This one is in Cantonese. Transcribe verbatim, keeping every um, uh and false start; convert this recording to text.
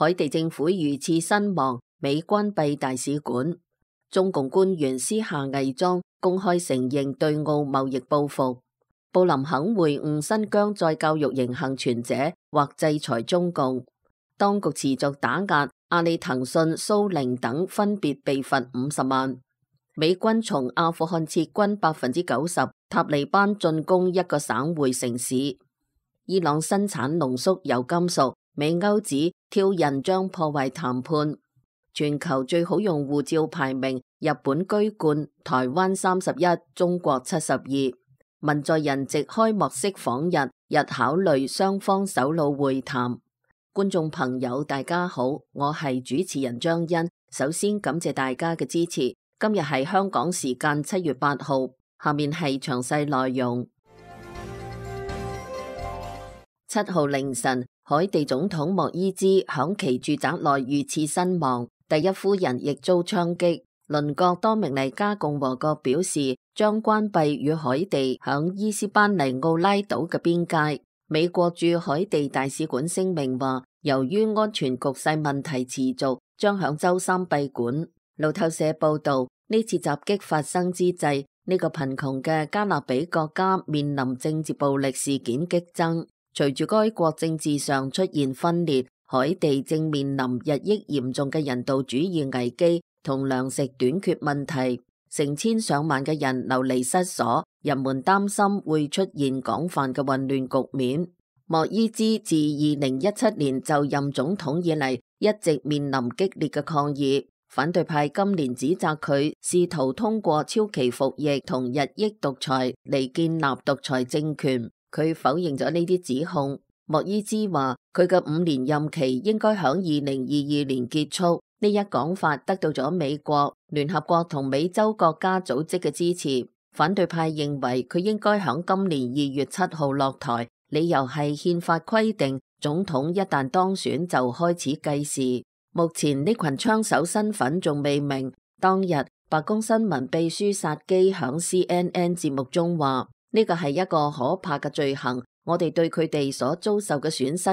海地政府遇刺身亡，美關閉大使館。中共官員私下偽裝，公開承認對澳貿易報復。布林肯會晤新疆再教育營幸存者，或制裁中共。當局持續打壓，阿里、騰訊、蘇寧等分別被罰五十萬。美軍從阿富汗撤軍百分之九十，塔利班進攻一個省會城市。伊朗生產濃縮鈾金屬，美歐指挑釁將破壞談判。全球最好用護照排名，日本居冠，台灣三十一，中國七十二。文在寅藉開幕式訪日，日考慮雙方首腦會談。觀眾朋友大家好，我係主持人張欣，首先感謝大家嘅支持。今日係香港時間七月八號，下面係詳細內容。七號凌晨，海地總統莫伊茲響其住宅內遇刺身亡。第一夫人亦遭槍擊。鄰國多明尼加共和國表示將關閉與海地響伊斯班尼奧拉島嘅邊界。美國駐海地大使館聲明話，由於安全局勢問題持續，將響周三閉館。路透社報道，呢次襲擊發生之際，呢、這個貧窮嘅加勒比國家面臨政治暴力事件激增。隨住該國政治上出現分裂，海地正面臨日益嚴重嘅人道主義危機同糧食短缺問題，成千上萬嘅人流離失所，人們擔心會出現廣泛嘅混亂局面。莫伊茲自二零一七年就任總統以嚟，一直面臨激烈嘅抗議。反對派今年指責佢試圖通過超期服役同日益獨裁嚟建立獨裁政權。佢否認咗呢啲指控。莫伊茲話佢嘅五年任期應該響二零二二年結束。呢一講法得到咗美國、聯合國同美洲國家組織嘅支持。反對派認為佢應該響今年二月七號落台，理由係憲法規定總統一旦當選就開始計時。目前呢群槍手身份仲未明。當日白宮新聞秘書薩基響 C N N 節目中話，呢個係一個可怕嘅罪行，我哋對佢哋所遭受嘅損失